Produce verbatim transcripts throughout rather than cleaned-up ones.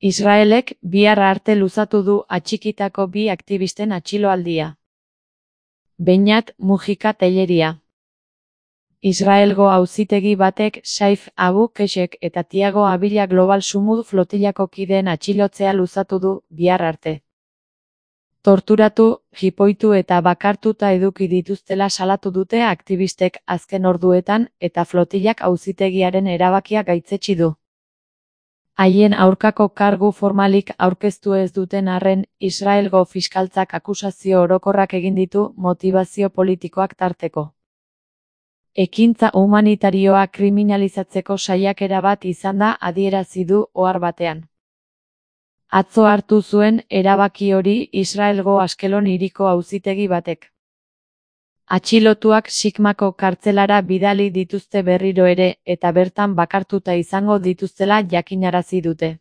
Israelek bihar arte luzatu du atxikitako bi aktivisten atxiloaldia. Beñat Mujika Telleria. Israelgo auzitegi batek Saif Abu Keshek eta Tiago Abila Global Sumud flotilako kideen atxilotzea luzatu du bihar arte. Torturatu, jipoitu eta bakartuta eduki dituztela salatu dute aktivistek azken orduetan eta flotilak auzitegiaren erabakia gaitzetsi du. Haien aurkako kargu formalik aurkeztu ez duten arren, Israelgo fiskaltzak akusazio orokorrak egin ditu motibazio politikoak tarteko. Ekintza humanitarioa kriminalizatzeko saiakera bat izan da adierazi du ohar batean. Atzo hartu zuen erabaki hori Israelgo Askelon hiriko auzitegi batek. Atxilotuak Sikmako kartzelara bidali dituzte berriro ere eta bertan bakartuta izango dituztela jakinarazi dute.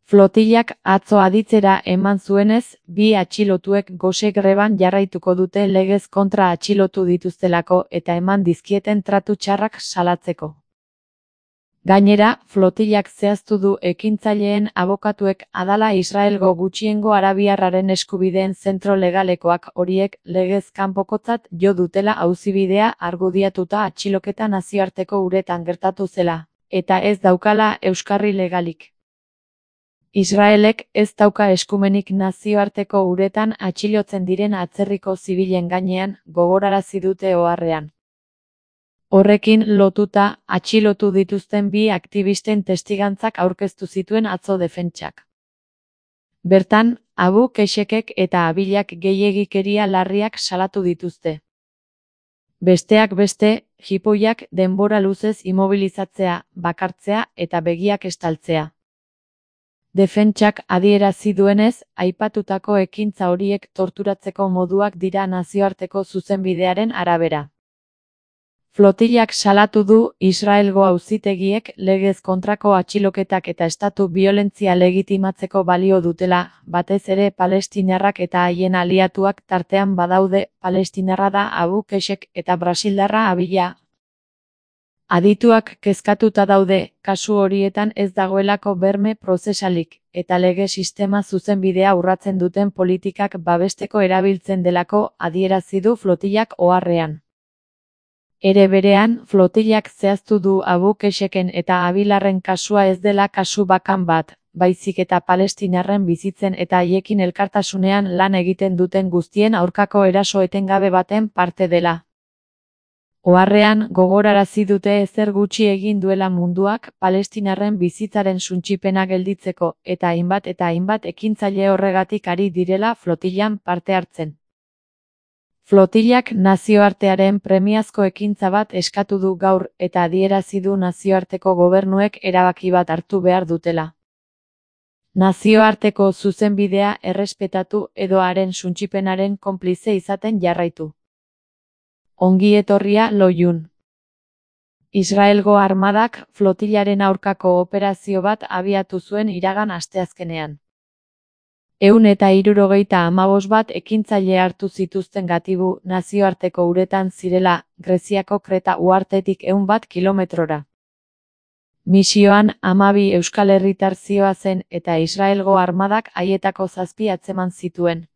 Flotilak atzo aditzera eman zuenez, bi atxilotuek gose greban jarraituko dute legez kontra atxilotu dituztelako eta eman dizkieten tratu txarrak salatzeko. Gainera, flotilak zehaztu du ekintzaileen abokatuek adala Israelgo gutxiengo arabiarraren eskubideen zentro legalekoak horiek legez kanpokotzat jo dutela auzibidea argudiatuta atxiloketa nazioarteko uretan gertatu zela, eta ez daukala euskarri legalik. Israelek ez dauka eskumenik nazioarteko uretan atxilotzen diren atzerriko zibilen gainean, gogorarazi dute oharrean. Horrekin lotuta, atxilotu dituzten bi aktivisten testigantzak aurkeztu zituen atzo defentsak. Bertan, Abu Keshekek eta Abilak gehiegikeria larriak salatu dituzte. Besteak beste, jipoiak denbora luzez immobilizatzea, bakartzea eta begiak estaltzea. Defentsak adierazi duenez, aipatutako ekintza horiek torturatzeko moduak dira nazioarteko zuzenbidearen arabera. Flotilak salatu du Israelgo auzitegiek legez kontrako atxiloketak eta estatu biolentzia legitimatzeko balio dutela, batez ere palestinarrak eta haien aliatuak tartean badaude, palestinarra da Abu Keshek eta brasildarra Abila. Adituak kezkatuta daude, kasu horietan ez dagoelako berme prozesalik, eta lege sistema zuzenbidea urratzen duten politikak babesteko erabiltzen delako adierazi du flotilak oharrean. Ere berean, flotilak zehaztu du Abu Kesheken eta Abilarren kasua ez dela kasu bakan bat, baizik eta palestinarren bizitzen eta haiekin elkartasunean lan egiten duten guztien aurkako eraso etengabe baten parte dela. Oharrean, gogorarazi dute ezer gutxi egin duela munduak palestinarren bizitzaren suntsipena gelditzeko eta hainbat eta hainbat ekintzaile horregatik ari direla flotilan parte hartzen. Flotilak nazioartearen premiazko ekintza bat eskatu du gaur eta adierazi du nazioarteko gobernuek erabaki bat hartu behar dutela. Nazioarteko zuzenbidea errespetatu edo haren suntsipenaren konplize izaten jarraitu. Ongi etorria Loiun. Israelgo armadak flotilaren aurkako operazio bat abiatu zuen iragan asteazkenean. Ehun eta hirurogeita hamabost bat ekintzaile hartu zituzten gatibu nazioarteko uretan zirela, Greziako Kreta uhartetik ehun bat kilometrora. Misioan hamabi euskal herritar zihoazen eta Israelgo armadak haietako zazpi atzeman zituen.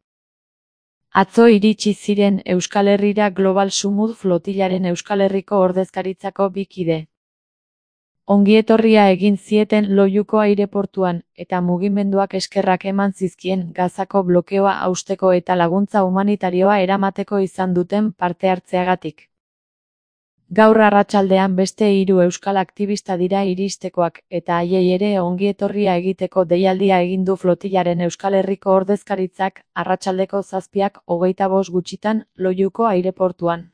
Atzo iritsi ziren Euskal Herrira Global Sumud flotilaren Euskal Herriko ordezkaritzako bi kide. Ongietorria egin zieten Loiuko aireportuan, eta mugimenduak eskerrak eman zizkien Gazako blokeoa hausteko eta laguntza humanitarioa eramateko izan duten parte hartzeagatik. Gaur arratsaldean beste hiru euskal aktivista dira iristekoak, eta haiei ere ongietorria egiteko deialdia egin du flotilaren Euskal Herriko ordezkaritzak arratsaldeko zazpiak hogeita bost gutxitan Loiuko aireportuan.